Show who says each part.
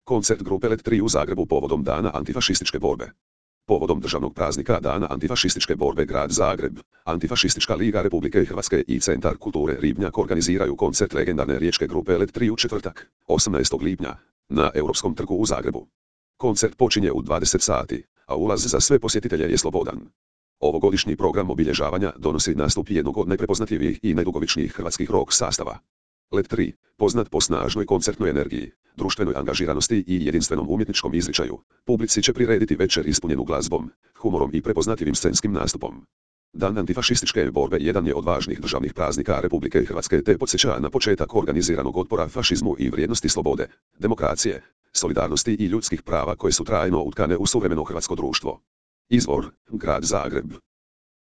Speaker 1: Koncert grupe Let 3 u Zagrebu povodom Dana antifašističke borbe. Povodom državnog praznika Dana antifašističke borbe Grad Zagreb, Antifašistička liga Republike Hrvatske i Centar kulture Ribnjak organiziraju koncert legendarne riječke grupe Let 3 u četvrtak, 18. lipnja, na Europskom trgu u Zagrebu. Koncert počinje u 20 sati, a ulaz za sve posjetitelje je slobodan. Ovogodišnji program obilježavanja donosi nastup jednog od najprepoznatljivijih i najdugovičnijih hrvatskih rock sastava. Let 3, poznat po snažnoj koncertnoj energiji, društvenoj angažiranosti i jedinstvenom umjetničkom izričaju, publici će prirediti večer ispunjenu glazbom, humorom i prepoznatljivim scenskim nastupom. Dan antifašističke borbe jedan je od važnih državnih praznika Republike Hrvatske te podsjeća na početak organiziranog otpora fašizmu i vrijednosti slobode, demokracije, solidarnosti i ljudskih prava koje su trajno utkane u suvremeno hrvatsko društvo. Izvor: Grad Zagreb.